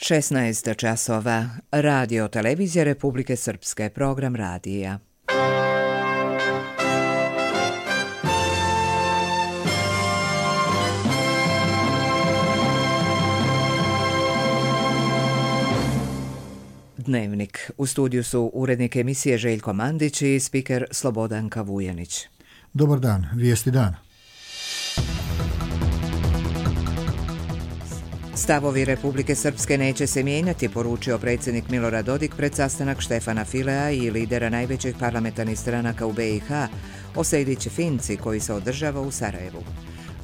16 časova. Radio televizija Republike Srpske, program radija. Dnevnik. U studiju su urednik emisije Željko Mandić i spiker Slobodanka Vujanić. Dobar dan, vijesti dana. Stavovi Republike Srpske neće se mijenjati, poručio predsjednik Milorad Dodik pred sastanak Štefana Filea i lidera najvećih parlamentarnih stranaka u BiH o Sejdić-Finci koji se održava u Sarajevu.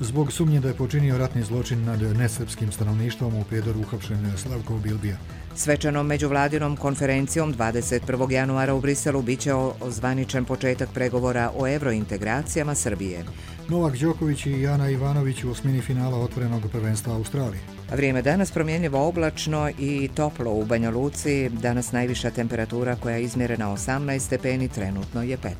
Zbog sumnje da je počinio ratni zločin nad nesrpskim stanovništvom u Prijedoru uhapšen Slavko Bilbija. Svečanom međuvladinom konferencijom 21. januara u Briselu biće ozvaničen početak pregovora o evrointegracijama Srbije. Novak Đoković i Ana Ivanović u osmini finala otvorenog prvenstva Australije. Vrijeme danas promjenjivo oblačno i toplo u Banja Luci. Danas najviša temperatura koja je izmjerena 18 stepeni, trenutno je 15.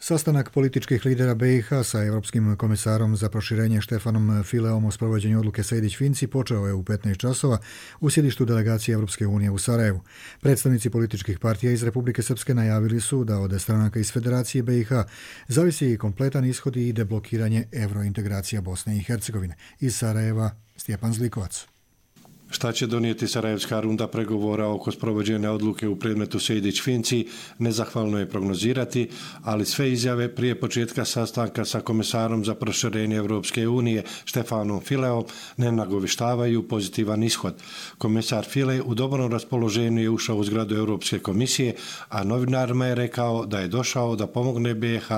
Sastanak političkih lidera BiH sa Europskim komisarom za proširenje Štefanom Fileom o sprovođenju odluke Sejdić-Finci počeo je u 15 časova u sjedištu delegacije Europske unije u Sarajevu. Predstavnici političkih partija iz Republike Srpske najavili su da od stranaka iz Federacije BiH zavisi kompletan ishod i deblokiranje evrointegracija Bosne i Hercegovine. Iz Sarajeva Stjepan Zlikovac. Šta će donijeti sarajevska runda pregovora oko sprovođenja odluke u predmetu Sejdić-Finci nezahvalno je prognozirati, ali sve izjave prije početka sastanka sa komisarom za proširenje Europske unije Štefanom Fileom ne nagovištavaju pozitivan ishod. Komisar File u dobrom raspoloženju je ušao u zgradu Europske komisije, a novinarima je rekao da je došao da pomogne BiH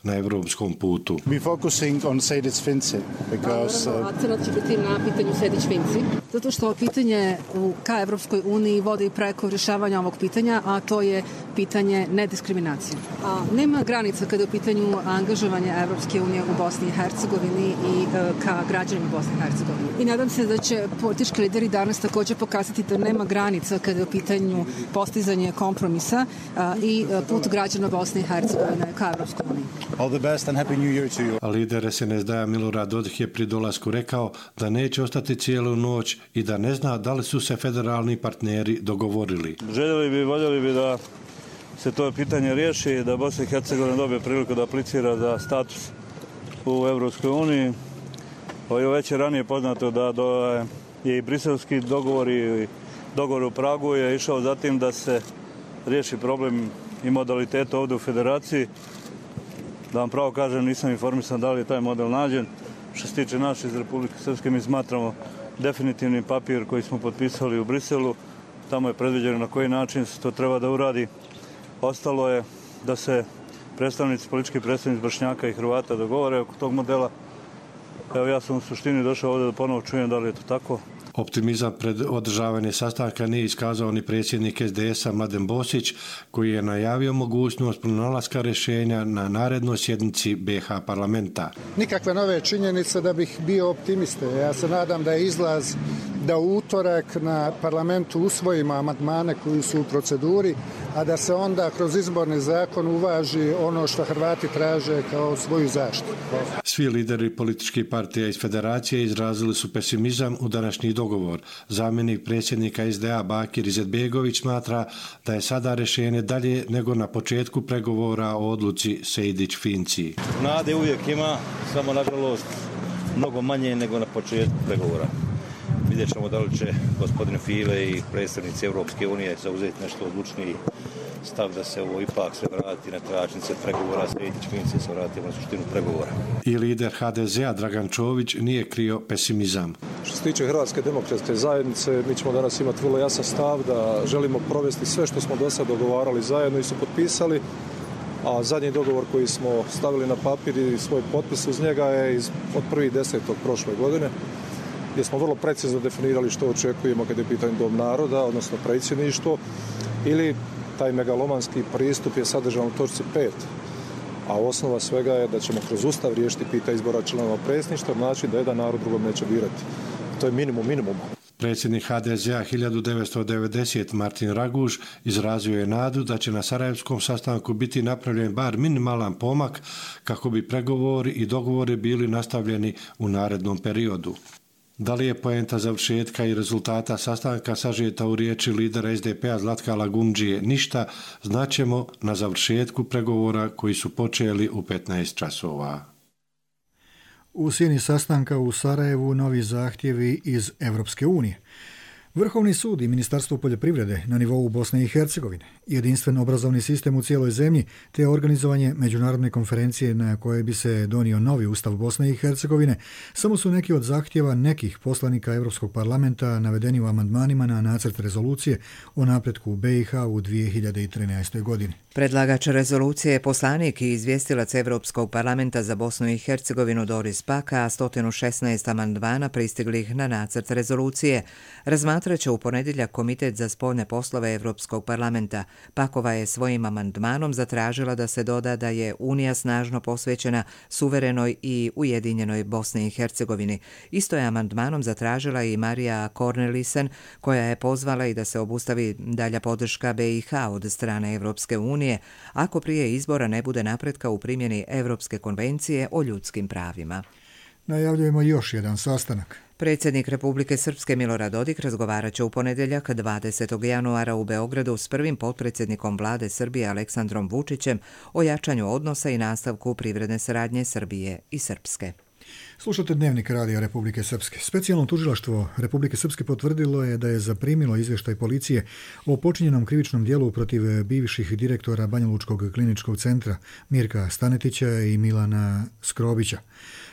na europskom putu. We focusing on Sejdić-Finci because akcenat će biti na pitanju Sejdić-Finci, zato što pitanje ka Evropskoj uniji vodi preko rješavanja ovog pitanja, a to je pitanje nediskriminacije. Nema granica kada je u pitanju angažovanje Evropske unije u Bosni i Hercegovini i ka građanima Bosne i Hercegovine. I nadam se da će politički lideri danas također pokazati da nema granica kada je u pitanju postizanje kompromisa i put građana Bosne i Hercegovine ka Evropskoj uniji. all the best and happy new year to you. A lider SNSD-a Milorad Dodik je pri dolasku rekao da neće ostati cijelu noć i da ne zna da li su se federalni partneri dogovorili. Voljeli bi da se to pitanje riješi, da Bosna i Hercegovina dobije priliku da aplicira za status u Evropskoj uniji. Već je ranije poznato da je i briselski dogovor i dogovor u Pragu je išao za tim da se riješi problem i modaliteta ovdje u Federaciji. Da vam pravo kažem, nisam informisan da li je taj model nađen. Što se tiče nas iz Republike Srpske, mi smatramo definitivni papir koji smo potpisali u Briselu. Tamo je predviđeno na koji način se to treba da uradi. Ostalo je da se politički predstavnici Bošnjaka i Hrvata dogovore oko tog modela. Evo, ja sam u suštini došao ovdje da ponovo čujem da li je to tako. Optimizam pred održavanje sastanka nije iskazao ni predsjednik SDS-a Mladen Bosić, koji je najavio mogućnost pronalaska rješenja na narednoj sjednici BiH parlamenta. Nikakve nove činjenice da bih bio optimista. Ja se nadam da je izlaz da u utorak na parlamentu usvojimo amandmane koji su u proceduri, a da se onda kroz izborni zakon uvaži ono što Hrvati traže kao svoju zaštitu. Svi lideri političkih partija iz Federacije izrazili su pesimizam u današnji dogovor. Zamjenik predsjednika SDA Bakir Izetbegović smatra da je sada rješenje dalje nego na početku pregovora o odluci Sejdić-Finci. Nade uvijek ima, samo nažalost mnogo manje nego na početku pregovora. Vidjet ćemo da li će gospodin File i predstavnici Europske unije zauzeti nešto odlučniji stav da se ovo ipak sve vrati na tračnice pregovora, Sejdić-Finci se vratimo na suštinu pregovora. I lider HDZ-a Dragan Čović nije krio pesimizam. Što se tiče Hrvatske demokratske zajednice, mi ćemo danas imati vrlo jasan stav da želimo provesti sve što smo do sad dogovarali zajedno i su potpisali, a zadnji dogovor koji smo stavili na papir i svoj potpis uz njega je od 1.10. prošle godine, gdje smo vrlo precizno definirali što očekujemo kada je pitanje Dom naroda, odnosno predsjedništvo, ili taj megalomanski pristup je sadržan u točci 5. A osnova svega je da ćemo kroz Ustav riješiti pitanje izbora članova predsjedništva, znači da jedan narod drugom neće birati. To je minimum minimuma. Predsjednik HDZ-a 1990 Martin Raguž izrazio je nadu da će na sarajevskom sastanku biti napravljen bar minimalan pomak kako bi pregovori i dogovori bili nastavljeni u narednom periodu. Da li je poenta završetka i rezultata sastanka sažeta u riječi lidera SDP-a Zlatka Lagumdžije ništa, znaćemo na završetku pregovora koji su počeli u 15 časova. U sjeni sastanka u Sarajevu novi zahtjevi iz Europske unije. Vrhovni sud i Ministarstvo poljoprivrede na nivou Bosne i Hercegovine, jedinstven obrazovni sistem u cijeloj zemlji te organizovanje međunarodne konferencije na kojoj bi se donio novi ustav Bosne i Hercegovine samo su neki od zahtjeva nekih poslanika Europskog parlamenta navedeni u amandmanima na nacrt rezolucije o napretku u BiH u 2013. godini. Predlagač rezolucije je poslanik i izvjestilac Europskog parlamenta za Bosnu i Hercegovinu Doris Paka, a 116 amandmana pristiglih na nacrt rezolucije razmatrat će u ponedjeljak Komitet za spoljne poslove Europskog parlamenta. Pakova je svojim amandmanom zatražila da se doda da je Unija snažno posvećena suverenoj i ujedinjenoj Bosni i Hercegovini. Isto je amandmanom zatražila i Marija Cornelissen, koja je pozvala i da se obustavi dalja podrška BiH od strane Europske unije ako prije izbora ne bude napretka u primjeni Europske konvencije o ljudskim pravima. Najavljujemo još jedan sastanak. Predsjednik Republike Srpske Milorad Dodik razgovarat će u ponedjeljak 20. januara u Beogradu s prvim potpredsjednikom vlade Srbije Aleksandrom Vučićem o jačanju odnosa i nastavku privredne saradnje Srbije i Srpske. Slušate Dnevnik Radija Republike Srpske. Specijalno tužilaštvo Republike Srpske potvrdilo je da je zaprimilo izvještaj policije o počinjenom krivičnom djelu protiv bivših direktora Banjalučkog kliničkog centra Mirka Stanetića i Milana Skrobića.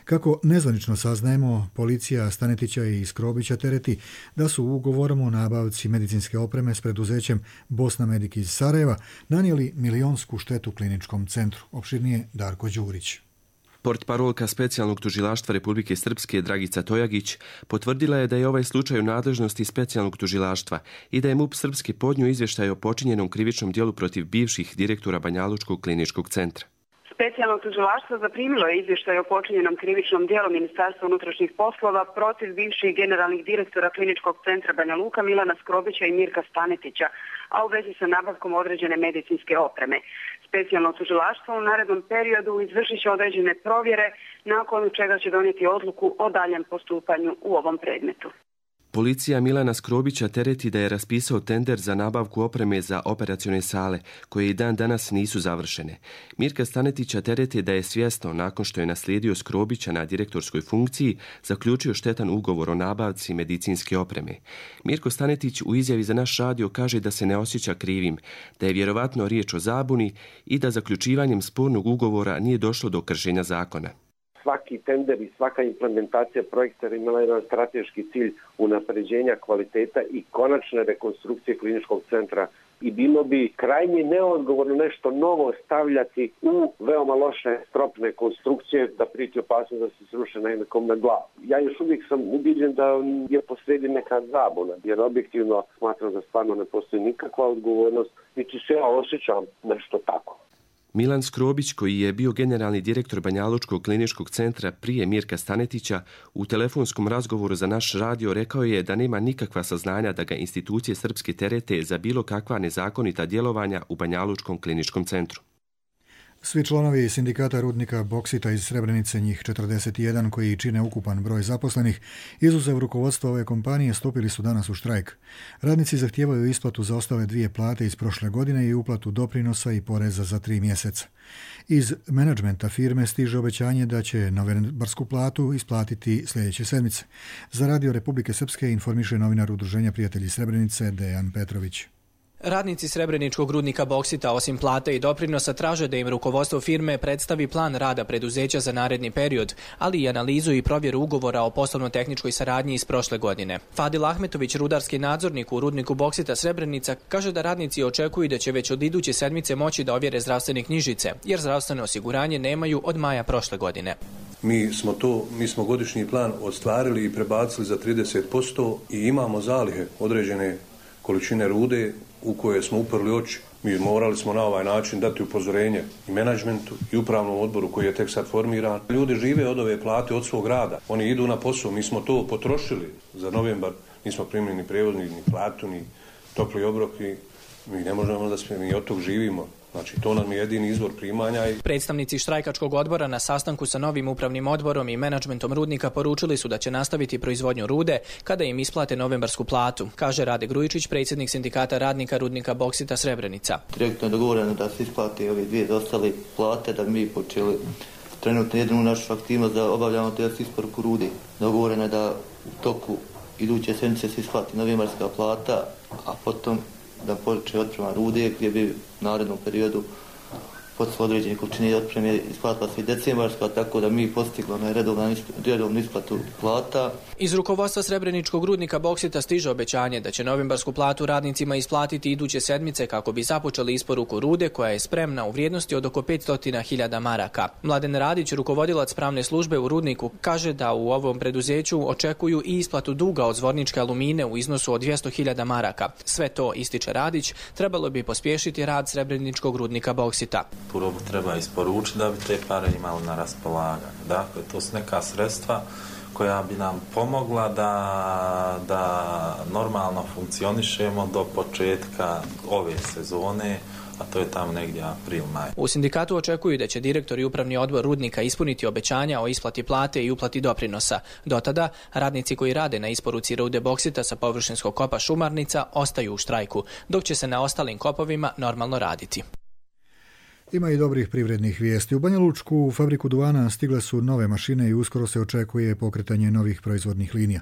Kako nezvanično saznajemo, policija Stanetića i Skrobića tereti da su ugovorom o nabavci medicinske opreme s preduzećem Bosna Medic iz Sarajeva nanijeli milionsku štetu kliničkom centru. Opširnije Darko Đurić. Portparolka Specijalnog tužilaštva Republike Srpske Dragica Tojagić potvrdila je da je ovaj slučaj u nadležnosti Specijalnog tužilaštva i da je MUP Srpske podnio izvještaj o počinjenom krivičnom djelu protiv bivših direktora Banjalučkog kliničkog centra. Specijalno tužilaštvo zaprimilo je izvještaj o počinjenom krivičnom djelu Ministarstva unutrašnjih poslova protiv bivših generalnih direktora kliničkog centra Banja Luka Milana Skrobića i Mirka Stanetića, a u vezi sa nabavkom određene medicinske opreme. Specijalno tužilaštvo u narednom periodu izvršit će određene provjere, nakon čega će donijeti odluku o daljem postupanju u ovom predmetu. Policija Milana Skrobića tereti da je raspisao tender za nabavku opreme za operacione sale, koje i dan danas nisu završene. Mirka Stanetića tereti da je svjesno, nakon što je naslijedio Skrobića na direktorskoj funkciji, zaključio štetan ugovor o nabavci medicinske opreme. Mirko Stanetić u izjavi za naš radio kaže da se ne osjeća krivim, da je vjerovatno riječ o zabuni i da zaključivanjem spornog ugovora nije došlo do kršenja zakona. Svaki tender i svaka implementacija projekta imala jedan strateški cilj unapređenja kvaliteta i konačne rekonstrukcije kliničkog centra i bilo bi krajnje neodgovorno nešto novo stavljati u veoma loše stropne konstrukcije da priti opasnost da se sruše na nekom na glavu. Ja još uvijek sam ubiđen da je posredi neka zabuna, jer objektivno smatram da stvarno ne postoji nikakva odgovornost, niti se ja osjećam nešto tako. Milan Skrobić, koji je bio generalni direktor Banjalučkog kliničkog centra prije Mirka Stanetića, u telefonskom razgovoru za naš radio rekao je da nema nikakva saznanja da ga institucije srpske terete za bilo kakva nezakonita djelovanja u Banjalučkom kliničkom centru. Svi članovi sindikata rudnika Boksita iz Srebrenice, njih 41 koji čine ukupan broj zaposlenih, izuzev rukovodstva ove kompanije, stupili su danas u štrajk. Radnici zahtijevaju isplatu za ostale 2 plate iz prošle godine i uplatu doprinosa i poreza za 3 mjeseca. Iz menadžmenta firme stiže obećanje da će novembarsku platu isplatiti sljedeće sedmice. Za Radio Republike Srpske informiše novinar Udruženja Prijatelji Srebrenice Dejan Petrović. Radnici Srebreničkog rudnika Boksita osim plate i doprinosa traže da im rukovodstvo firme predstavi plan rada preduzeća za naredni period, ali i analizu i provjeru ugovora o poslovno-tehničkoj saradnji iz prošle godine. Fadil Ahmetović, rudarski nadzornik u rudniku Boksita Srebrenica, kaže da radnici očekuju da će već od iduće sedmice moći da ovjere zdravstvene knjižice, jer zdravstveno osiguranje nemaju od maja prošle godine. Mi smo godišnji plan ostvarili i prebacili za 30% i imamo zalihe određene količine rude u koje smo uprli oči. Mi morali smo na ovaj način dati upozorenje i menadžmentu i upravnom odboru koji je tek sad formiran. Ljudi žive od ove plate, od svog rada. Oni idu na posao. Mi smo to potrošili za novembar nismo primili ni prevoznik, ni platu, ni topli obrok i mi ne možemo da mi od tog živimo. Znači, to nam je jedini izvor primanja. Predstavnici štrajkačkog odbora na sastanku sa novim upravnim odborom i menadžmentom rudnika poručili su da će nastaviti proizvodnju rude kada im isplate novembarsku platu, kaže Rade Grujičić, predsjednik sindikata radnika rudnika Boksita Srebrenica. Direktno je dogovoreno da se isplate ove dvije dostale plate, da bi mi počeli trenutno jednu našu aktivnost da obavljamo test isporuku rude. Dogovoreno je da u toku iduće sedmice se isplati novembarska plata, a potom da počne otprema rude gdje bi u narednom periodu posle određene količine otpreme isplatila se i decembarska, tako da mi postiglo na redovnu isplatu plata. Iz rukovodstva Srebreničkog rudnika Boksita stiže obećanje da će novembarsku platu radnicima isplatiti iduće sedmice kako bi započeli isporuku rude koja je spremna u vrijednosti od oko 500.000 maraka. Mladen Radić, rukovodilac pravne službe u rudniku, kaže da u ovom preduzeću očekuju i isplatu duga od Zvorničke alumine u iznosu od 200.000 maraka. Sve to, ističe Radić, trebalo bi pospješiti rad Srebreničkog rudnika Boksita. Robu treba isporučiti da bi te pare imali na raspolaganju. Dakle, to su neka sredstva koja bi nam pomogla da normalno funkcionišemo do početka ove sezone, a to je tamo negdje april-maj. U sindikatu očekuju da će direktor i upravni odbor rudnika ispuniti obećanja o isplati plate i uplati doprinosa. Do tada, radnici koji rade na isporuci rude Boksita sa površinskog kopa Šumarnica ostaju u štrajku, dok će se na ostalim kopovima normalno raditi. Ima i dobrih privrednih vijesti. U Banja Lučku fabriku duvana stigle su nove mašine i uskoro se očekuje pokretanje novih proizvodnih linija.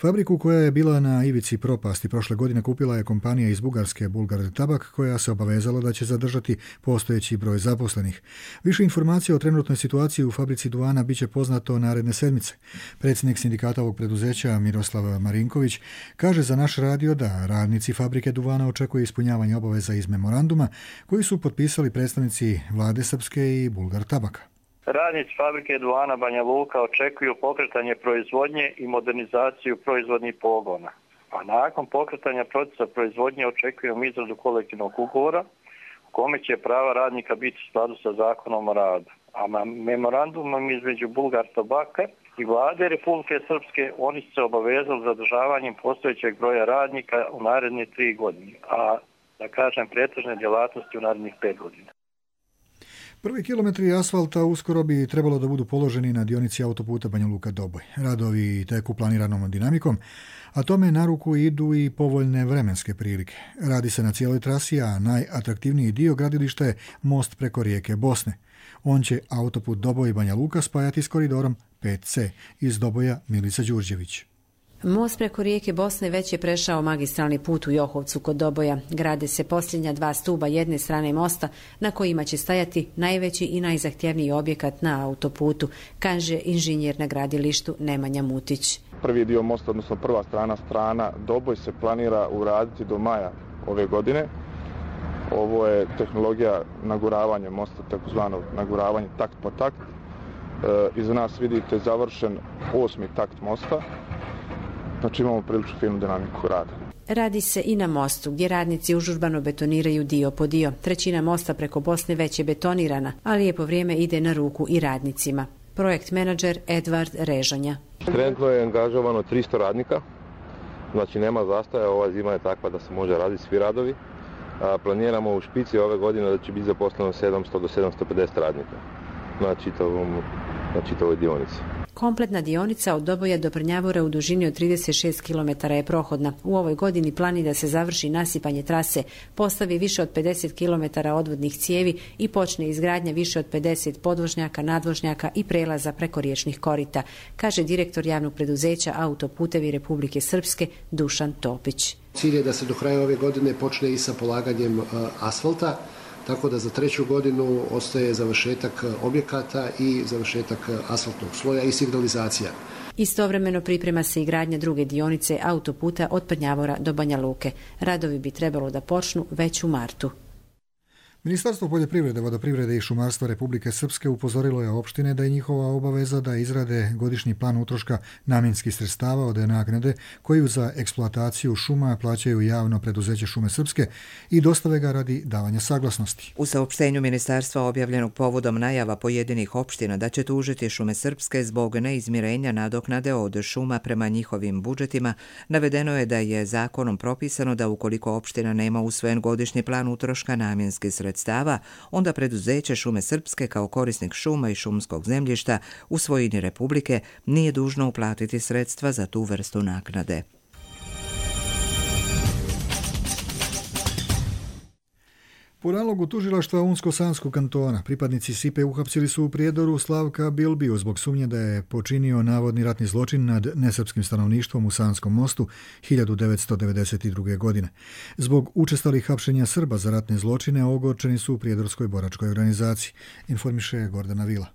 Fabriku koja je bila na ivici propasti prošle godine kupila je kompanija iz Bugarske Bulgar Tabak, koja se obavezala da će zadržati postojeći broj zaposlenih. Više informacija o trenutnoj situaciji u fabrici duvana biće poznato naredne sedmice. Predsjednik sindikata ovog preduzeća Miroslav Marinković kaže za naš radio da radnici fabrike duvana očekuje ispunjavanje obaveza iz memoranduma koji su potpisali predstavnici vlade Srpske i Bulgar Tabaka. Radnici fabrike duvana Banja Luka očekuju pokretanje proizvodnje i modernizaciju proizvodnih pogona. A nakon pokretanja procesa proizvodnje očekujemo izradu kolektivnog ugovora u kome će prava radnika biti u skladu sa zakonom o radu. A memorandumom između Bulgar Tabaka i vlade Republike Srpske oni su se obavezali zadržavanjem postojećeg broja radnika u naredne 3 godine, a da kažem pretežne djelatnosti u narednih 5 godina. Prvi kilometri asfalta uskoro bi trebalo da budu položeni na dionici autoputa Banja Luka-Doboj. Radovi teku planiranom dinamikom, a tome na ruku idu i povoljne vremenske prilike. Radi se na cijeloj trasi, a najatraktivniji dio gradilišta je most preko rijeke Bosne. On će autoput Doboj Banja Luka spajati s koridorom 5C. Iz Doboja Milica Đurđević. Most preko rijeke Bosne već je prešao magistralni put u Johovcu kod Doboja. Grade se posljednja 2 stuba jedne strane mosta na kojima će stajati najveći i najzahtjevniji objekat na autoputu, kaže inženjer na gradilištu Nemanja Mutić. Prvi dio mosta, odnosno prva strana Doboj se planira uraditi do maja ove godine. Ovo je tehnologija naguravanja mosta, takozvano naguravanje takt po takt. Iza nas vidite završen 8. takt mosta. Znači imamo prilično finu dinamiku rada. Radi se i na mostu, gdje radnici užurbano betoniraju dio po dio. Trećina mosta preko Bosne već je betonirana, ali lijepo vrijeme ide na ruku i radnicima. Projekt menadžer Edvard Režanja. Trenutno je angažovano 300 radnika, znači nema zastaja, ova zima je takva da se može raditi svi radovi. Planiramo u špici ove godine da će biti zaposleno 700 do 750 radnika na čitavoj dionici. Kompletna dionica od Doboja do Prnjavora u dužini od 36 km je prohodna. U ovoj godini plani da se završi nasipanje trase, postavi više od 50 km odvodnih cijevi i počne izgradnja više od 50 podvožnjaka, nadvožnjaka i prelaza preko riječnih korita, kaže direktor javnog preduzeća Autoputevi Republike Srpske Dušan Topić. Cilj je da se do kraja ove godine počne i sa polaganjem asfalta, tako da za 3. godinu ostaje završetak objekata i završetak asfaltnog sloja i signalizacija. Istovremeno priprema se i gradnja druge dionice autoputa od Prnjavora do Banja Luke. Radovi bi trebalo da počnu već u martu. Ministarstvo poljoprivrede, vodoprivrede i šumarstva Republike Srpske upozorilo je opštine da je njihova obaveza da izrade godišnji plan utroška namjenskih sredstava od naknade koju za eksploataciju šuma plaćaju javno preduzeće Šume Srpske i dostave ga radi davanja saglasnosti. U saopštenju ministarstva objavljenog povodom najava pojedinih opština da će tužiti Šume Srpske zbog neizmirenja nadoknade od šuma prema njihovim budžetima, navedeno je da je zakonom propisano da ukoliko opština nema usvojen godišnji plan utroška namjenskih sredstava, onda preduzeće Šume Srpske kao korisnik šuma i šumskog zemljišta u svojini Republike nije dužno uplatiti sredstva za tu vrstu naknade. Po nalogu tužilaštva Unsko-Sanskog kantona, pripadnici SIPE uhapsili su u Prijedoru Slavka Bilbiju zbog sumnje da je počinio navodni ratni zločin nad nesrpskim stanovništvom u Sanskom mostu 1992. godine. Zbog učestalih hapšenja Srba za ratne zločine ogorčeni su u Prijedorskoj boračkoj organizaciji, informiše Gordana Vila.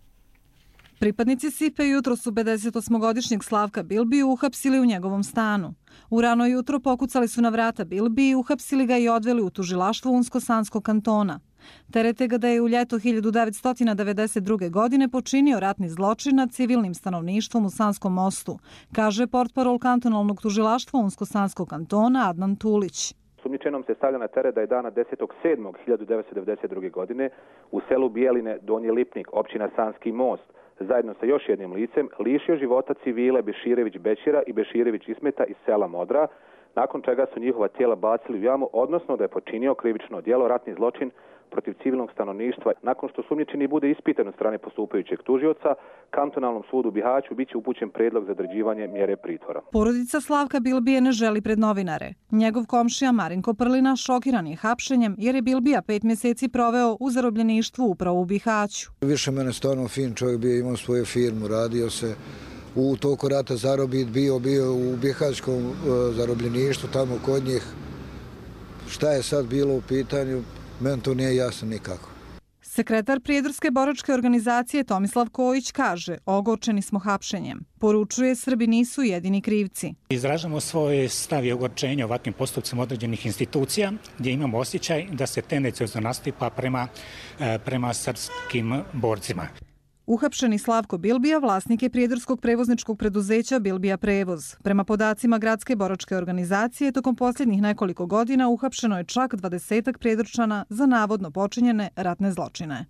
Pripadnici SIPE jutro su 58-godišnjeg Slavka Bilbiju uhapsili u njegovom stanu. U rano jutro pokucali su na vrata Bilbiji, uhapsili ga i odveli u tužilaštvo Unsko-Sanskog kantona. Terete ga da je u ljeto 1992. godine počinio ratni zločin nad civilnim stanovništvom u Sanskom mostu, kaže portparol kantonalnog tužilaštva Unsko-Sanskog kantona Adnan Tulić. Sumnjičenom se stavlja na teret da je dana 10.7.1992. godine u selu Bijeline, Donji Lipnik, općina Sanski most, zajedno sa još jednim licem, lišio života civile Beširević Bećira i Beširević Ismeta iz sela Modra, nakon čega su njihova tijela bacili u jamu, odnosno da je počinio krivično djelo ratni zločin protiv civilnog stanovništva. Nakon što sumnjičeni bude ispitan od strane postupajućeg tužioca, kantonalnom sudu u Bihaću biće upućen prijedlog za određivanje mjere pritvora. Porodica Slavka Bilbije ne želi pred novinare. Njegov komšija Marinko Prlina šokiran je hapšenjem jer je Bilbija 5 mjeseci proveo u zarobljeništvu upravo u Bihaću. Više mene stvarno fin čovjek, bio imao svoju firmu, radio se u toku rata zarobit, bio u Bihaćkom zarobljeništvu tamo kod njih. Šta je sad bilo u pitanju? Meni to nije jasno nikako. Sekretar Prijedorske boračke organizacije Tomislav Kojić kaže: ogorčeni smo hapšenjem. Poručuje, Srbi nisu jedini krivci. Izražamo svoje stav i ogorčenje ovakvim postupcima određenih institucija gdje imamo osjećaj da se tendenciozno nastupa prema srpskim borcima. Uhapšeni Slavko Bilbija vlasnik je prijedorskog prevozničkog preduzeća Bilbija Prevoz. Prema podacima Gradske boračke organizacije, tokom posljednjih nekoliko godina uhapšeno je čak 20 prijedorčana za navodno počinjene ratne zločine.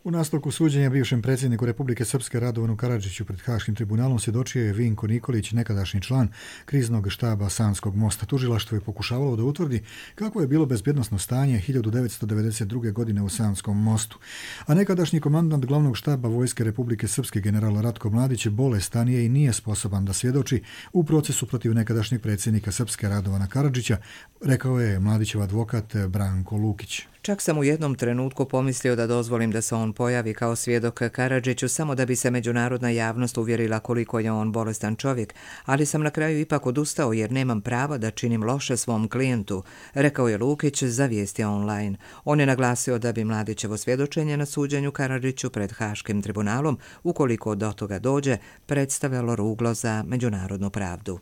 U nastavku suđenja bivšem predsjedniku Republike Srpske Radovanu Karadžiću pred Haškim tribunalom svjedočio je Vinko Nikolić, nekadašnji član kriznog štaba Sanskog mosta. Tužilaštvo je pokušavalo da utvrdi kako je bilo bezbjednosno stanje 1992. godine u Sanskom mostu. A nekadašnji komandant glavnog štaba Vojske Republike Srpske general Ratko Mladić bolestan je i nije sposoban da svjedoči u procesu protiv nekadašnjeg predsjednika Srpske Radovana Karadžića, rekao je Mladićev advokat Branko Lukić. Čak sam u jednom trenutku pomislio da dozvolim da se on pojavi kao svjedok Karadžiću samo da bi se međunarodna javnost uvjerila koliko je on bolestan čovjek, ali sam na kraju ipak odustao jer nemam prava da činim loše svom klijentu, rekao je Lukić za Vijesti online. On je naglasio da bi Mladićevo svjedočenje na suđenju Karadžiću pred Haškim tribunalom, ukoliko do toga dođe, predstavljalo ruglo za međunarodnu pravdu.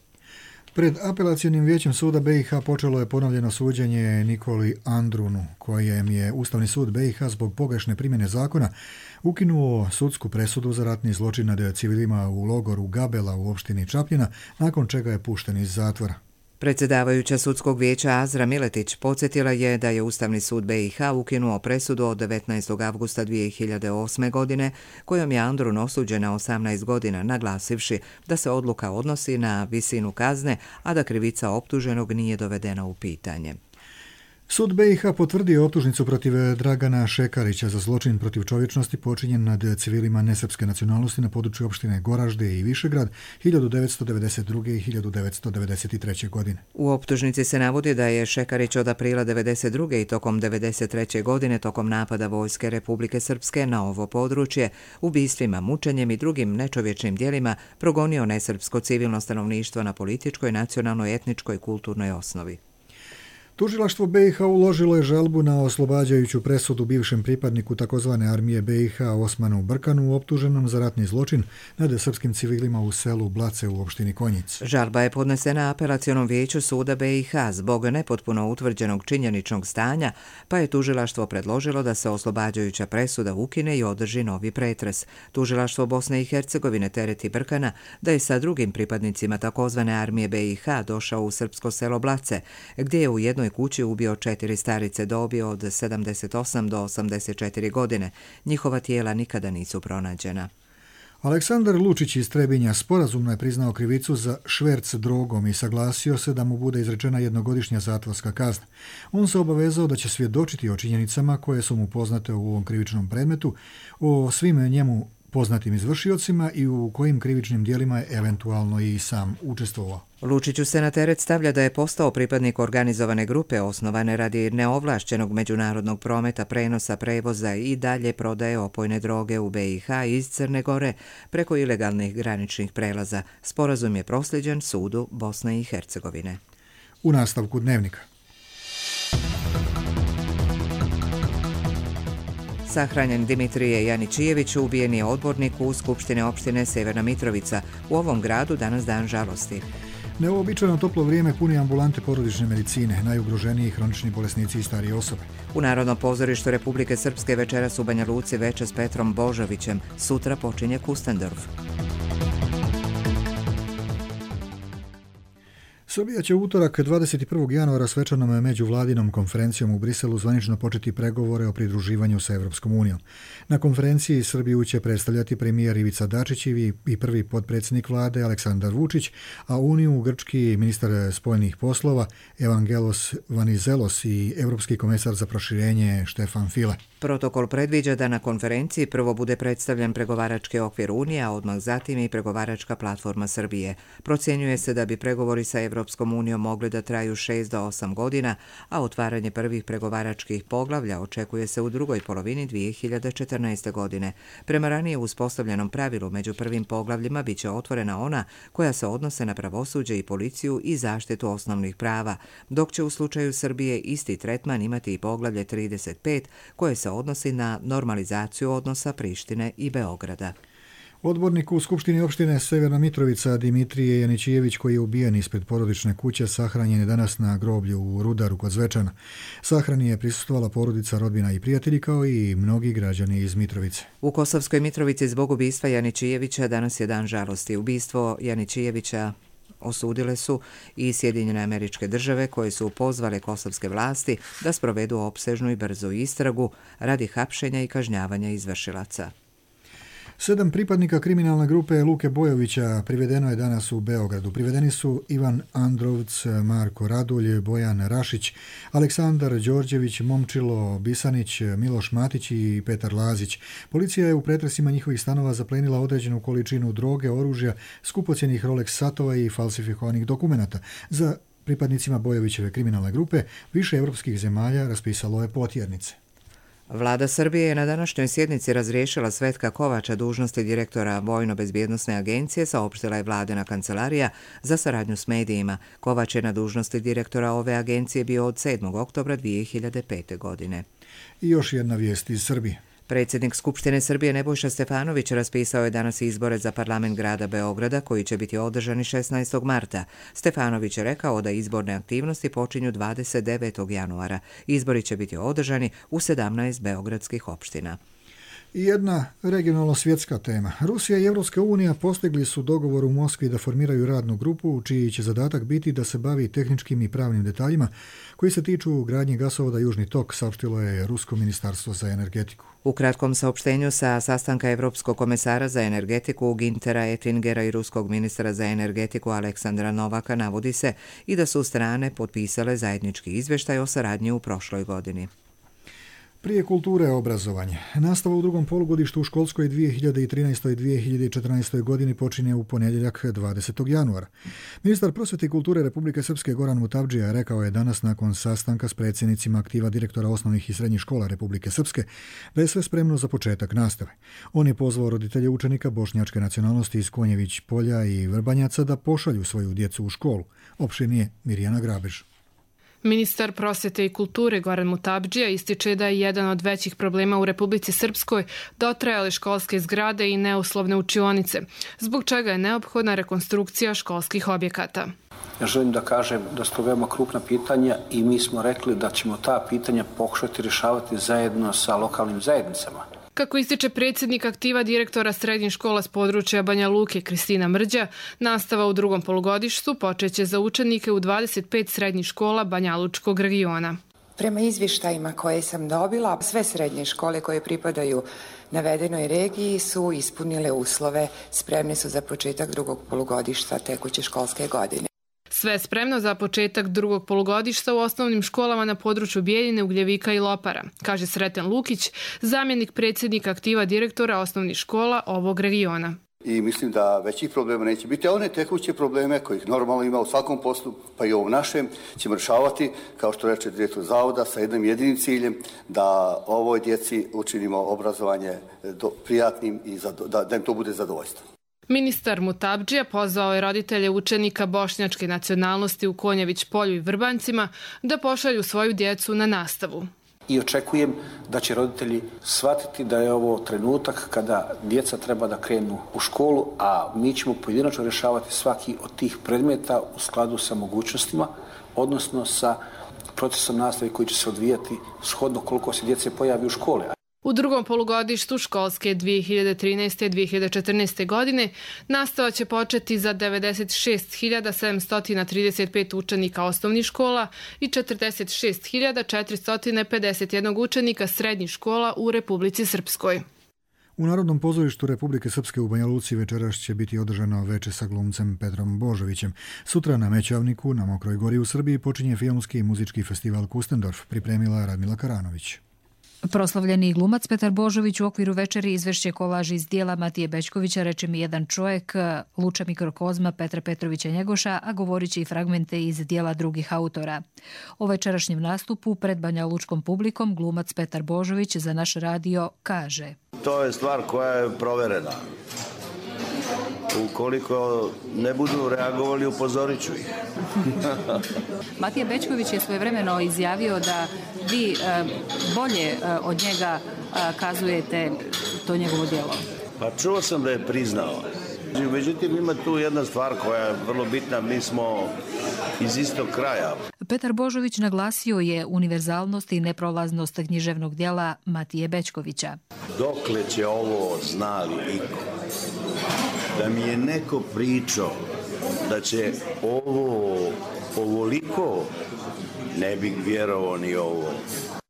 Pred apelacionim vijećem suda BiH počelo je ponovljeno suđenje Nikoli Andrunu, kojem je Ustavni sud BiH zbog pogrešne primjene zakona ukinuo sudsku presudu za ratni zločin nad civilima u logoru Gabela u opštini Čapljina, nakon čega je pušten iz zatvora. Predsjedavajuća sudskog vijeća Azra Miletić podsjetila je da je Ustavni sud BiH ukinuo presudu od 19. avgusta 2008. godine kojom je Andrun osuđen na 18 godina, naglasivši da se odluka odnosi na visinu kazne, a da krivica optuženog nije dovedena u pitanje. Sud BiH potvrdio optužnicu protiv Dragana Šekarića za zločin protiv čovječnosti počinjen nad civilima nesrpske nacionalnosti na području opštine Goražde i Višegrad 1992. i 1993. godine. U optužnici se navodi da je Šekarić od aprila 1992. i tokom 1993. godine tokom napada Vojske Republike Srpske na ovo područje, ubistvima, mučenjem i drugim nečovječnim djelima progonio nesrpsko civilno stanovništvo na političkoj, nacionalnoj, etničkoj i kulturnoj osnovi. Tužilaštvo BiH uložilo je žalbu na oslobađajuću presudu bivšem pripadniku takozvane armije BiH Osmanu Brkanu optuženom za ratni zločin nad srpskim civilima u selu Blace u opštini Konjic. Žalba je podnesena apelacionom vijeću suda BiH zbog nepotpuno utvrđenog činjeničnog stanja, pa je tužilaštvo predložilo da se oslobađajuća presuda ukine i održi novi pretres. Tužilaštvo Bosne i Hercegovine tereti Brkana da je sa drugim pripadnicima takozvane armije BiH došao u srpsko selo Blace, gdje je u jednoj kući ubio 4 starice dobi od 78 do 84 godine. Njihova tijela nikada nisu pronađena. Aleksandar Lučić iz Trebinja sporazumno je priznao krivicu za šverc drogom i saglasio se da mu bude izrečena jednogodišnja zatvorska kazna. On se obavezao da će svjedočiti o činjenicama koje su mu poznate u ovom krivičnom predmetu, o svim njemu poznatim izvršiocima i u kojim krivičnim dijelima je eventualno i sam učestvovao. Lučiću se na teret stavlja da je postao pripadnik organizovane grupe osnovane radi neovlašćenog međunarodnog prometa, prenosa, prevoza i dalje prodaje opojne droge u BiH iz Crne Gore preko ilegalnih graničnih prelaza. Sporazum je prosljeđen sudu Bosne i Hercegovine. U nastavku dnevnika. Sahranjen Dimitrije Janičijević ubijen je odbornik u Skupštine opštine Severna Mitrovica. U ovom gradu danas dan žalosti. Neuobičajeno toplo vrijeme puni ambulante porodične medicine, najugroženiji hronični bolesnici i starije osobe. U Narodnom pozorištu Republike Srpske večeras u Banja Luci veče s Petrom Božovićem. Sutra počinje Kustendorf. Srbija će u utorak 21. januara svečanom međuvladinom konferencijom u Briselu zvanično početi pregovore o pridruživanju sa Evropskom unijom. Na konferenciji Srbiju će predstavljati premijer Ivica Dačić i prvi potpredsjednik vlade Aleksandar Vučić, a Uniju grčki ministar spoljnih poslova Evangelos Vanizelos i Europski komesar za proširenje Štefan File. Protokol predviđa da na konferenciji prvo bude predstavljen pregovarački okvir Unije, a odmah zatim i pregovaračka platforma Srbije. Procjenjuje se da bi pregovori sa Evropskom unijom mogli da traju 6 do 8 godina, a otvaranje prvih pregovaračkih poglavlja očekuje se u drugoj polovini 2014. godine. Prema ranije uspostavljenom pravilu, među prvim poglavljima biće otvorena ona koja se odnose na pravosuđe i policiju i zaštitu osnovnih prava, dok će u slučaju Srbije isti tretman imati i poglavlje 35 koje se odnosi na normalizaciju odnosa Prištine i Beograda. Odbornik u Skupštini opštine Severna Mitrovica Dimitrije Janičijević, koji je ubijen ispred porodične kuće, sahranjen je danas na groblju u Rudaru kod Zvečana. Sahrani je prisustvovala porodica, rodbina i prijatelji, kao i mnogi građani iz Mitrovice. U Kosovskoj Mitrovici zbog ubistva Janičijevića danas je dan žalosti. Ubistvo Janičijevića osudile su i Sjedinjene Američke Države, koje su pozvale kosovske vlasti da sprovedu opsežnu i brzu istragu radi hapšenja i kažnjavanja izvršilaca. 7 pripadnika kriminalne grupe Luke Bojovića privedeno je danas u Beogradu. Privedeni su Ivan Androvc, Marko Radulj, Bojan Rašić, Aleksandar Đorđević, Momčilo Bisanić, Miloš Matić i Petar Lazić. Policija je u pretresima njihovih stanova zaplenila određenu količinu droge, oružja, skupocjenih Rolex satova i falsifikovanih dokumenata. Za pripadnicima Bojovićeve kriminalne grupe više evropskih zemalja raspisalo je potjernice. Vlada Srbije je na današnjoj sjednici razriješila Svetka Kovača dužnosti direktora Vojno-bezbjednosne agencije, saopštila je vladina kancelarija za saradnju s medijima. Kovač je na dužnosti direktora ove agencije bio od 7. oktobra 2005. godine. I još jedna vijest iz Srbije. Predsjednik Skupštine Srbije Nebojša Stefanović raspisao je danas izbore za parlament grada Beograda koji će biti održani 16. marta. Stefanović je rekao da izborne aktivnosti počinju 29. januara. Izbori će biti održani u 17 beogradskih opština. I jedna regionalno svjetska tema. Rusija i Evropska unija postigli su dogovor u Moskvi da formiraju radnu grupu čiji će zadatak biti da se bavi tehničkim i pravnim detaljima koji se tiču gradnje gasovoda Južni tok, saopštilo je Rusko ministarstvo za energetiku. U kratkom saopštenju sa sastanka Evropskog komesara za energetiku Gintera Ettingera i ruskog ministra za energetiku Aleksandra Novaka navodi se i da su strane potpisale zajednički izvještaj o saradnji u prošloj godini. Prije kulture obrazovanje. Nastava u drugom polugodištu u školskoj 2013. i 2014. godini počinje u ponedjeljak 20. januara. Ministar prosvete i kulture Republike Srpske Goran Mutavdžija rekao je danas nakon sastanka s predsjednicima aktiva direktora osnovnih i srednjih škola Republike Srpske da je sve spremno za početak nastave. On je pozvao roditelje učenika bošnjačke nacionalnosti iz Konjević Polja i Vrbanjaca da pošalju svoju djecu u školu. Opširnije Mirjana Grabež. Ministar prosvete i kulture Goran Mutabdžija ističe da je jedan od većih problema u Republici Srpskoj dotrajale školske zgrade i neuslovne učionice, zbog čega je neophodna rekonstrukcija školskih objekata. Ja želim da kažem da su to veoma krupna pitanja i mi smo rekli da ćemo ta pitanja pokušati rješavati zajedno sa lokalnim zajednicama. Kako ističe predsjednik aktiva direktora srednjih škola s područja Banja Luke Kristina Mrđa, nastava u drugom polugodištu počeće za učenike u 25 srednjih škola Banja Lučkog regiona. Prema izvještajima koje sam dobila, sve srednje škole koje pripadaju navedenoj regiji su ispunile uslove, spremne su za početak drugog polugodišta tekuće školske godine. Sve je spremno za početak drugog polugodišta u osnovnim školama na području Bijeljine, Ugljevika i Lopara, kaže Sreten Lukić, zamjenik predsjednika aktiva direktora osnovnih škola ovog regiona. I mislim da većih problema neće biti, a one tekuće probleme kojih normalno ima u svakom poslu, pa i ovom našem, ćemo rješavati, kao što reče direktor zavoda, sa jednim jedinim ciljem da ovoj djeci učinimo obrazovanje prijatnim i da im to bude zadovoljstvo. Ministar Mutabdžija pozvao je roditelje učenika bošnjačke nacionalnosti u Konjević polju i Vrbancima da pošalju svoju djecu na nastavu. I očekujem da će roditelji shvatiti da je ovo trenutak kada djeca treba da krenu u školu, a mi ćemo pojedinačno rješavati svaki od tih predmeta u skladu sa mogućnostima, odnosno sa procesom nastave koji će se odvijati shodno koliko se djece pojavi u škole. U drugom polugodištu školske 2013-2014. godine nastava će početi za 96.735 učenika osnovnih škola i 46.451 učenika srednjih škola u Republici Srpskoj. U Narodnom pozorištu Republike Srpske u Banja Luci večeras će biti održano veče sa glumcem Petrom Božovićem. Sutra na Mećavniku, na Mokroj gori u Srbiji, počinje filmski i muzički festival Kustendorf, pripremila Radmila Karanović. Proslavljeni glumac Petar Božović u okviru večeri izvešće kolaž iz dijela Matije Bećkovića Reče mi jedan čovjek, Luča mikrokozma Petra Petrovića Njegoša, a govorit će i fragmente iz dijela drugih autora. O večerašnjem nastupu pred Banja Lučkom publikom glumac Petar Božović za naš radio kaže: To je stvar koja je proverena. Ukoliko ne budu reagovali, upozorit ću ih. Matija Bećković je svojevremeno izjavio da vi bolje od njega kazujete to njegovo djelo. Pa čuo sam da je priznao. Međutim, ima tu jedna stvar koja je vrlo bitna, mi smo iz istog kraja. Petar Božović naglasio je univerzalnost i neprolaznost književnog djela Matije Bećkovića. Dokle će ovo znali iko? Da mi je neko pričao da će ovoliko, ne bih vjerovao ni ovo.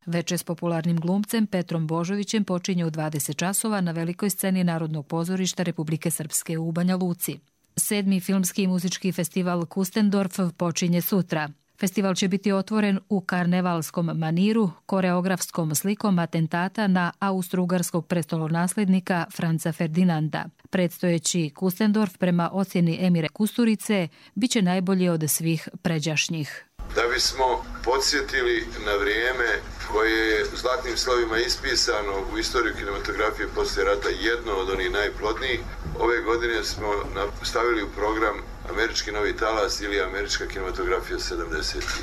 Veče s popularnim glumcem Petrom Božovićem počinje u 20 časova na velikoj sceni Narodnog pozorišta Republike Srpske u Banja Luci. 7. filmski i muzički festival Kustendorf počinje sutra. Festival će biti otvoren u karnevalskom maniru, koreografskom slikom atentata na austro-ugarskog prestolonaslednika Franca Ferdinanda. Predstojeći Kustendorf prema ocjeni Emire Kusturice biće najbolji od svih pređašnjih. Da bismo podsjetili na vrijeme koje je zlatnim slovima ispisano u istoriju kinematografije poslije rata, jedno od onih najplodnijih, ove godine smo stavili u program Američki novi talas ili Američka kinematografija 70-ih.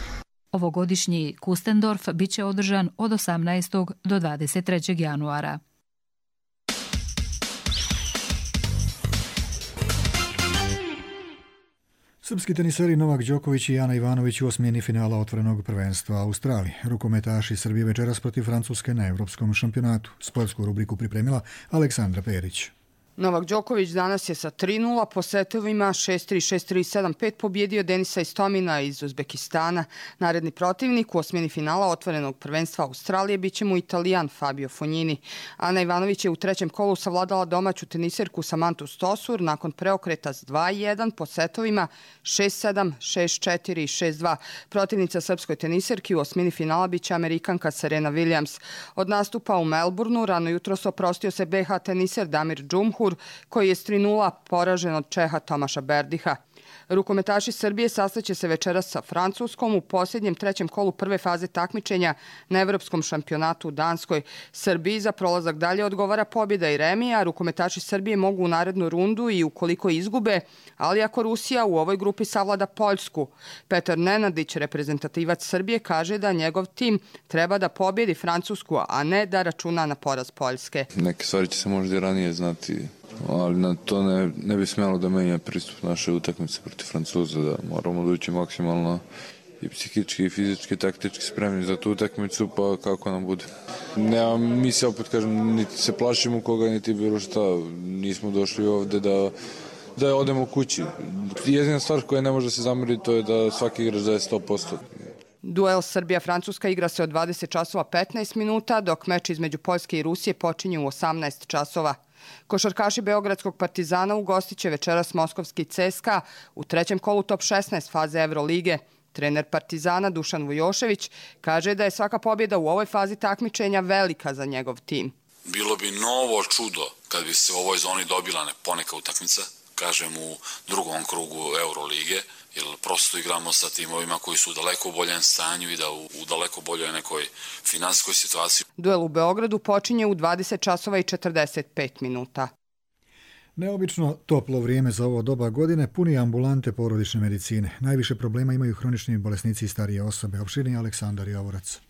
Ovogodišnji Kustendorf biće održan od 18. do 23. januara. Srpski teniseri Novak Đoković i Ana Ivanović u osmini finala otvorenog prvenstva Australije. Rukometaši Srbije večeras protiv Francuske na Evropskom šampionatu. Sportsku rubriku pripremila Aleksandra Perić. Novak Đoković danas je sa 3-0 po setovima 6-3, 6-3, 7-5 pobjedio Denisa Istomina iz Uzbekistana. Naredni protivnik u osmini finala otvorenog prvenstva Australije biće mu Italijan Fabio Fognini. Ana Ivanović je u trećem kolu savladala domaću teniserku Samantu Stosur nakon preokreta s 2-1 po setovima 6-7, 6-4 i 6-2. Protivnica srpskoj teniserki u osmini finala biće Amerikanka Serena Williams. Od nastupa u Melbourneu rano jutros oprostio se BH teniser Damir Džumhur, koji je s 3-0 poražen od Čeha Tomaša Berdiha. Rukometaši Srbije sastaće se večeras sa Francuskom u posljednjem trećem kolu prve faze takmičenja na Evropskom šampionatu u Danskoj. Srbiji za prolazak dalje odgovara pobjeda i remi, a rukometaši Srbije mogu u narednu rundu i ukoliko izgube, ali ako Rusija u ovoj grupi savlada Poljsku. Petar Nenadić, reprezentativac Srbije, kaže da njegov tim treba da pobjedi Francusku, a ne da računa na poraz Poljske. Neke stvari će se možda i ranije znati, ali na to ne bi smjelo da menja pristup naše utakmice protiv Francuza, da moramo doći maksimalno i psihički i fizički, taktički spremni za tu utakmicu, pa kako nam bude. Mi se opet kažem, niti se plašimo koga, niti bilo šta. Nismo došli ovde da odemo kući. Jedina stvar koja ne može se zameriti to je da svaki igrač daje 100%. Duel Srbija-Francuska igra se od 20 časova 15 minuta, dok meč između Poljske i Rusije počinje u 18 časova. Košarkaši Beogradskog Partizana ugostit će večeras moskovski CSKA u trećem kolu top 16 faze Evrolige. Trener Partizana Dušan Vujošević kaže da je svaka pobjeda u ovoj fazi takmičenja velika za njegov tim. Bilo bi novo čudo kad bi se u ovoj zoni dobila poneka utakmica, kažem u drugom krugu Eurolige, jer prosto igramo sa timovima koji su u daleko boljem stanju i da u daleko boljoj nekoj finansijskoj situaciji. Duel u Beogradu počinje u 20 časova i 45 minuta. Neobično toplo vrijeme za ovo doba godine puni ambulante porodične medicine. Najviše problema imaju hronični bolesnici i starije osobe. Opširniji Aleksandar Javorac.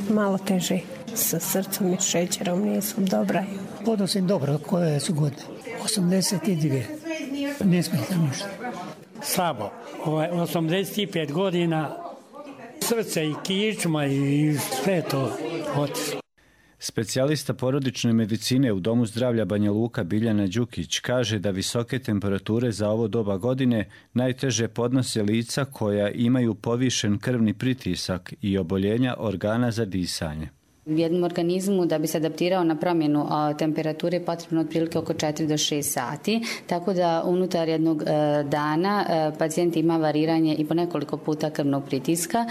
Malo teže sa srcom i šećerom, nisu dobra. Podosim dobro, koje su godine? 82. Ne smetam ništa. Slabo. 85 godina, srce i kičma i sve to otišlo. Specijalista porodične medicine u Domu zdravlja Banja Luka Biljana Đukić kaže da visoke temperature za ovo doba godine najteže podnose lica koja imaju povišen krvni pritisak i oboljenja organa za disanje. U jednom organizmu da bi se adaptirao na promjenu temperature je potrebno otprilike oko 4 do 6 sati, tako da unutar jednog dana pacijent ima variranje i po nekoliko puta krvnog pritiska.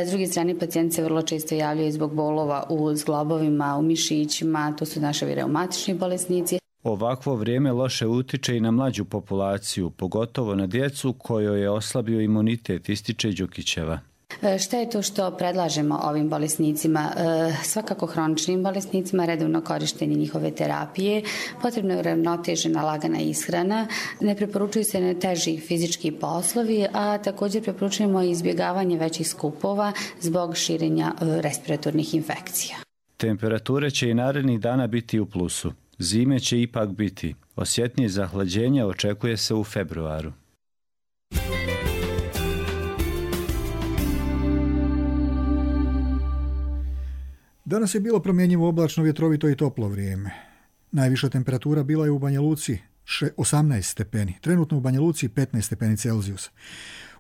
S druge strane, pacijent se vrlo često javljaju zbog bolova u zglobovima, u mišićima, to su naši reumatični bolesnici. Ovakvo vrijeme loše utiče i na mlađu populaciju, pogotovo na djecu kojoj je oslabio imunitet, ističe Đukićeva. Šta je to što predlažemo ovim bolesnicima? Svakako hroničnim bolesnicima, redovno korištenje njihove terapije, potrebno je uravnotežena lagana ishrana, ne preporučuju se teži fizički poslovi, a također preporučujemo izbjegavanje većih skupova zbog širenja respiratornih infekcija. Temperature će i narednih dana biti u plusu. Zime će ipak biti. Osjetnije zahlađenje očekuje se u februaru. Danas je bilo promjenjivo oblačno, vjetrovito i toplo vrijeme. Najviša temperatura bila je u Banja Luci 18 stepeni, trenutno u Banja Luci 15 stepeni Celzijusa.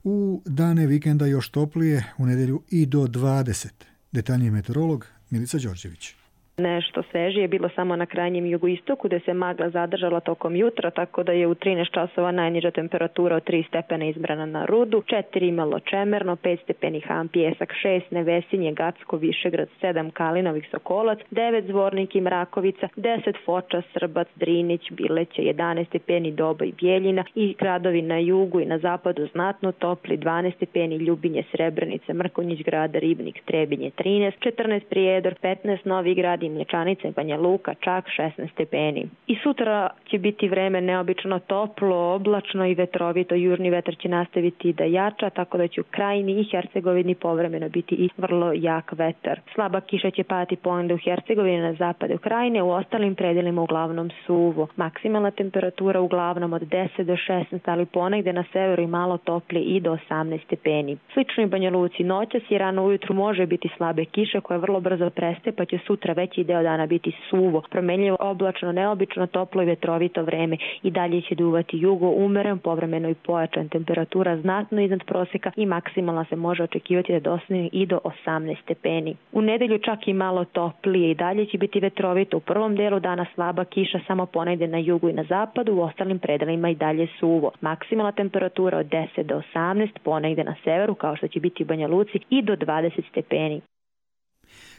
U dane vikenda još toplije, u nedjelju i do 20. Detaljniji meteorolog Milica Đorđević. Nešto svežije je bilo samo na krajnjem jugoistoku gdje se magla zadržala tokom jutra, tako da je u 13 časova najniža temperatura od 3 stepena izbrana na Rudu, 4 imalo Čemerno, 5 stepeni Han Pjesak, 6 Nevesinje, Gacko, Višegrad, 7 Kalinovih Sokolac, 9 Zvornik i Mrakovica, 10 Foča, Srbac, Drinić, Bileće, 11 stepeni Doba i Bjeljina i gradovi na jugu i na zapadu znatno topli, 12 stepeni Ljubinje, Srebrenica, Mrkonjić Grada, Ribnik, Trebinje 13, 14 Prijedor, 15 Novi Grad, Mlječanica i Banja Luka čak 16 stepeni. I sutra će biti vreme neobično toplo, oblačno i vetrovito. Južni vetar će nastaviti da jača, tako da će u Krajini i Hercegovini povremeno biti i vrlo jak vetar. Slaba kiša će padati ponegde u Hercegovini, na zapadu Krajine, u ostalim predelima uglavnom suvo. Maksimalna temperatura uglavnom od 10 do 16, ali ponegde na severu i malo toplije i do 18 stepeni. Slično i Banja Luci, noćas i rano ujutru može biti slabe kiše koje vrlo brzo prestaje, pa će sutra veći deo dana biti suvo, promenljivo, oblačno, neobično toplo i vetrovito vreme. I dalje će duvati jugo, umeren, povremeno i pojačan. Temperatura znatno iznad prosjeka i maksimalna se može očekivati da dosegne i do 18 stepeni. U nedelju čak i malo toplije, i dalje će biti vetrovito. U prvom delu dana slaba kiša, samo ponegde na jugu i na zapadu, u ostalim predelima i dalje suvo. Maksimalna temperatura od 10 do 18, ponegde na severu, kao što će biti u Banja Luci, i do 20 stepeni.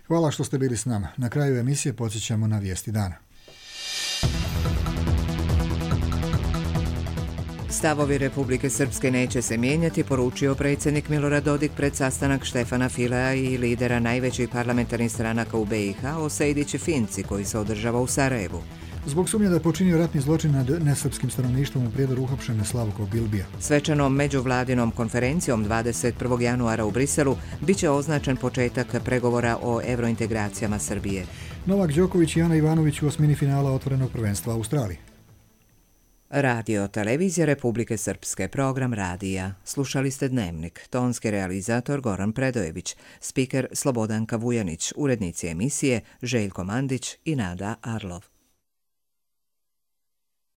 Hvala što ste bili s nama. Na kraju emisije podsjećamo na vijesti dana. Stavovi Republike Srpske neće se mijenjati, poručio predsjednik Milorad Dodik pred sastanak Štefana Filea i lidera najvećih parlamentarnih stranaka u BiH o Sejdić Finci koji se održava u Sarajevu. Zbog sumnje da je počinio ratni zločin nad nesrpskim stanovništvom u Prijedoru uhapšen Slavko Bilbija. Svečanom međuvladinom konferencijom 21. januara u Briselu biće označen početak pregovora o evrointegracijama Srbije. Novak Đoković i Ana Ivanović u osmini finala otvorenog prvenstva Australije. Radio Televizija Republike Srpske, program radija. Slušali ste Dnevnik, tonski realizator Goran Predojević, spiker Slobodanka Vujanić, urednici emisije Željko Mandić i Nada Arlov.